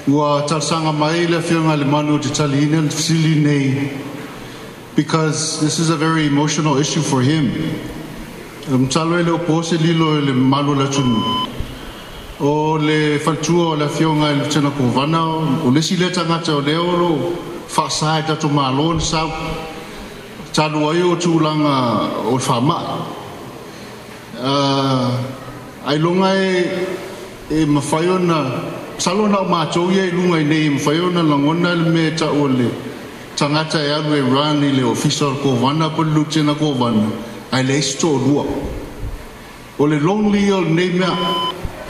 Ua talosaga mai le Afioga i le Manu ou te taliina le fesili lenei because this is a very emotional issue for him. Masalo e le o po se lilo i le mamalu o le atunuu. O le faletua o le Afioga i le Lutena Kovana, o le isi lea tagata o lea o lo o faasa e tatou Malo ona sau, talu ai o tulaga o le faamai. Ailoga e mafai ona, masalo na o matou ia i luga i nei e mafai ona lagona le mea e tau o le tagata e alu e run i le ofisa o le Kovana po o le Lutena Kovana ae leai se toalua. O le lonely o lenei mea.